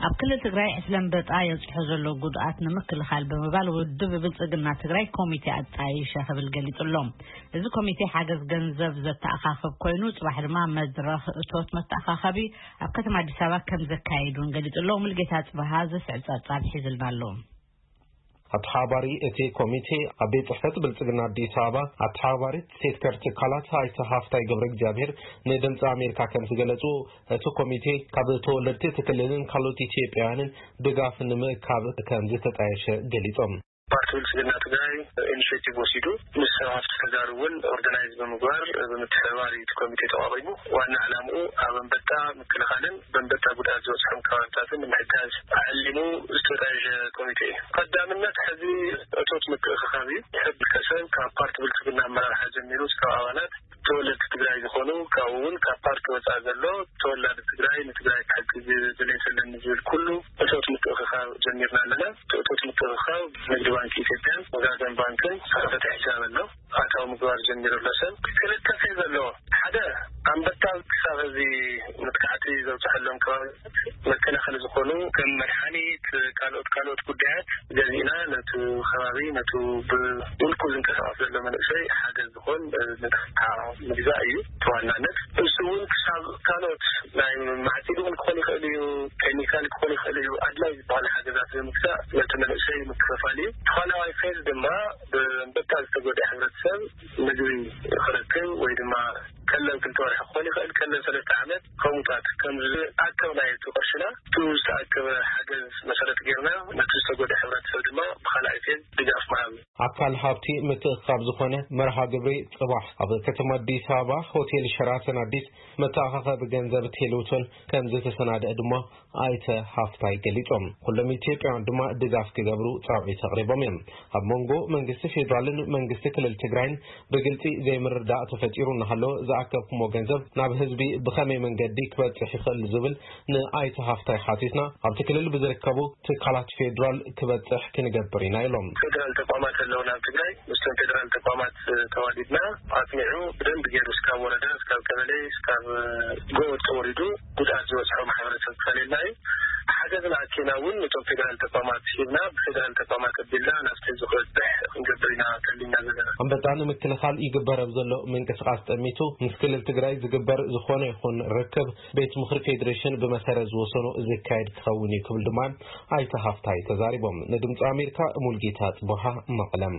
ኣብ ክልል ትግራይ ዕስለ ኣንበጣ የብፅሖ ዘሎ ጉድኣት ንምክልኻል ብምባል ውድብ ብልፅግና ትግራይ ኮሚቴ ኣጣይሸ ክብል ገሊፁ ኣሎ። እዚ ኮሚቴ ሓገዝ ገንዘብ ዘተኣኻኽብ ኮይኑ፣ ፅባሕ ድማ መድረኽ እቶት መተኣኻኸቢ ኣብ ከተማ ኣዲስ ኣበባ ከም ዘካየድ እውን ገሊፁ ኣሎ። ሙልጌታ ፅባሃ ዘስዕብ ፀብፃብ ሒዝልና ኣሎ። ኣተሓባሪ እቲ ኮሚቴ ኣብ ቤት ጽሕፈት ብልጽግና ኣዲስ ኣበባ ኣተሓባሪት ሴክተር ትካላት ኣይተ ሃፍታይ ገብረ እግዚኣብሔር ንድምፂ ኣሜሪካ ከም ዝገለጹ፣ እቲ ኮሚቴ ካብ ተወለድቲ እቲ ክልልን ካልኦት ኢትዮጵያውያንን ድጋፍ ንምእካብ ከም ዝተጣየሸ ገሊጾም። ፓርቲ ብልጽግና ትግራይ ኢኒሽቲቭ ወሲዱ ምስ ሰብ ሃፍቲ ተጋሩ እውን ኦርጋናይዝ ብምግባር ብምትሕብባር እዩ እቲ ኮሚቴ ተቋቒሙ። ዋና ዕላምኡ ኣብ ኣንበጣ ምክልኻልን በንበጣ ጉድኣት ዝበፅሖም ከባብታትን ንምሕጋዝ ዓሊሙ ዝተጣየሸ ኮሚቴ እዩ። ቀዳምነት ሕዚ እቶት ምትእኽኻብ እዩ። ሕድ ከሰብ ካብ ፓርቲ ብልፅግና ኣመራርሓ ጀሚሩ እስካብ ኣባላት ተወለድቲ ትግራይ ዝኾኑ፣ ካብኡ እውን ካብ ፓርቲ ወፃኢ ዘሎ ተወላዲ ትግራይ ንትግራይ ክሕግዝ ድሌት ኣለኒ ዝብል ኩሉ እቶት ምትእኽኻብ ጀሚርና ኣለና። እቲ እቶት ምትእኽኻብ ንግዲ ባንክ ኢትዮጵያን ወጋገን ባንክን ዝኸፈተ ሒሳብ ኣሎ። ኣታዊ ምግባር ጀሚሩ ኣሎ። ሰብ ክልተ ፌዝ ኣለዎ። ሓደ ኣንበጣ ክሳብ እዚ መጥቃዕቲ ዘብፅሐሎም ከባቢ መከላኸሊ ዝኾኑ ከም መድሓኒት፣ ካልኦት ካልኦት ጉዳያት ገዚእና ነቲ ከባቢ ነቲ ብውልቁ ዝንቀሳቐስ ዘሎ መንእሰይ ሓገዝ ዝኾን ንጥፍታ ምግዛእ እዩ ተዋናነት። እሱ እውን ክሳብ ካልኦት ናይ ማዕፂድ እውን ክኾን ይኽእል እዩ፣ ኬሚካል ክኾን ይኽእል እዩ። ኣድላይ ዝበሃሉ ሓገዛት ብምግዛእ ነቲ መንእሰይ ምክፍፋል እዩ። ተኻላዋይ ፌዝ ድማ ብኣንበጣ ዝተጎድአ ሕብረተሰብ ምግቢ ክረክብ ወይ ድማ ቀለብ ክልተ ወርሒ ክኾን ይኽእል፣ ቀለብ ሰለስተ ዓመት ከምኡታት ከም ዝኣከብናዮ እቲ ቅርሽና፣ እቲ ዝተኣከበ ሓገዝ መሰረት ጌርና ነቲ ዝተጎድአ ሕብረተሰብ ድማ ብኻልኣይ ፌዝ ድጋፍ ምሃብ እዩ። ኣካል ሃብቲ ምትእኽኻብ ዝኾነ መርሃ ግብሪ ጽባሕ ኣብ ከተማ ኣዲስ ኣበባ ሆቴል ሸራተን ኣዲስ መተኣኻኸቢ ገንዘብ ቴሌቶን ከም ዝተሰናድአ ድማ ኣይተ ሃፍታይ ገሊጾም። ኩሎም ኢትዮጵያውያን ድማ ድጋፍ ክገብሩ ጻውዒት ኣቕሪቦም እዮም። ኣብ መንጎ መንግስቲ ፌዴራልን መንግስቲ ክልል ትግራይን ብግልጺ ዘይምርዳእ ተፈጢሩ እናሃለወ ዝኣከብኩሞ ገንዘብ ናብ ህዝቢ ብኸመይ መንገዲ ክበጽሕ ይኽእል ዝብል ንኣይተ ሃፍታይ ሓቲትና ኣብቲ ክልል ብዝርከቡ ትካላት ፌዴራል ክበጽሕ ክንገብር ኢና ኢሎም። ፌዴራል ተቋማት ኣለውና ኣብ ትግራይ። ምስቶም ፌዴራል ተቋማት ተዋዲድና ኣጽኒዑ ብደንብ ገይሩ እስካብ ወረዳ፣ እስካብ ቀበሌ፣ እስካብ ጎጥ ተወሪዱ ጉድኣት ዝበፅሖ ማሕበረሰብ ክፈልየልና እዩ። ሓገዝና ኣኪና እውን ነቶም ፌዴራል ተቋማት ሂብና ብፌዴራል ተቋማት ኣቢልና ናብቲ ዝኽበፅሕ ክንገብር ኢና ከሊና ዘለና። ኣንበጣ ንምክልኻል ይግበር ኣብ ዘሎ ምንቅስቃስ ጠሚቱ ምስ ክልል ትግራይ ዝግበር ዝኾነ ይኹን ርክብ ቤት ምኽሪ ፌዴሬሽን ብመሰረት ዝወሰኖ ዝካየድ ክኸውን እዩ ክብል ድማ ኣይተ ሃፍታይ ተዛሪቦም። ንድምፂ ኣሜሪካ ሙልጌታ ጽቡሃ መቐለም።